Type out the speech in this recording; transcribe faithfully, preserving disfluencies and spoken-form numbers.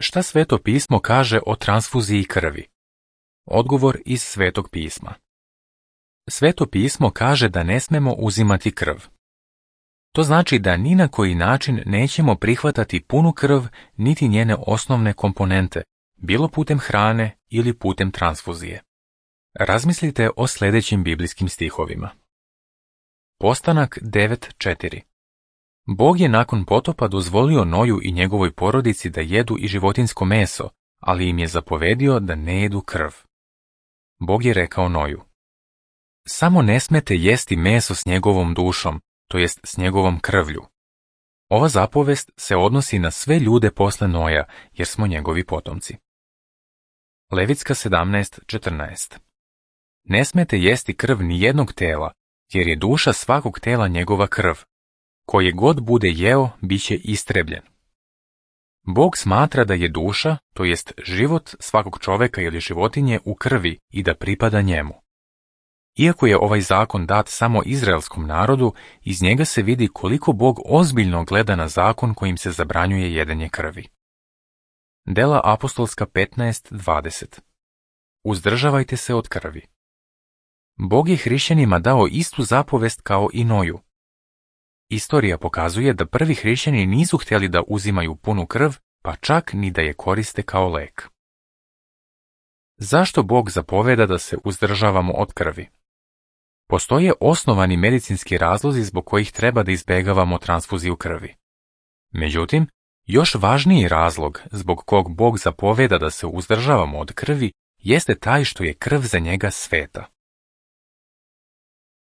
Šta Sveto pismo kaže o transfuziji krvi? Odgovor iz Svetog pisma. Sveto pismo kaže da ne smemo uzimati krv. To znači da ni na koji način nećemo prihvatati punu krv niti njene osnovne komponente, bilo putem hrane ili putem transfuzije. Razmislite o sljedećim biblijskim stihovima. Postanak devet četiri. Bog je nakon potopa dozvolio Noju i njegovoj porodici da jedu i životinjsko meso, ali im je zapovedio da ne jedu krv. Bog je rekao Noju: samo ne smete jesti meso s njegovom dušom, to jest s njegovom krvlju. Ova zapovest se odnosi na sve ljude posle Noja, jer smo njegovi potomci. Levitska sedamnaest četrnaest. Ne smete jesti krv ni jednog tela, jer je duša svakog tela njegova krv. Koje god bude jeo, bit će istrebljen. Bog smatra da je duša, to jest život svakog čoveka ili životinje u krvi i da pripada njemu. Iako je ovaj zakon dat samo izraelskom narodu, iz njega se vidi koliko Bog ozbiljno gleda na zakon kojim se zabranjuje jedenje krvi. Dela apostolska petnaest dvadeset. Uzdržavajte se od krvi. Bog je hrišćanima dao istu zapovest kao i Noju. Istorija pokazuje da prvi hrišćani nisu htjeli da uzimaju punu krv, pa čak ni da je koriste kao lek. Zašto Bog zapoveda da se uzdržavamo od krvi? Postoje osnovani medicinski razlozi zbog kojih treba da izbegavamo transfuziju krvi. Međutim, još važniji razlog zbog kog Bog zapoveda da se uzdržavamo od krvi jeste taj što je krv za njega sveta.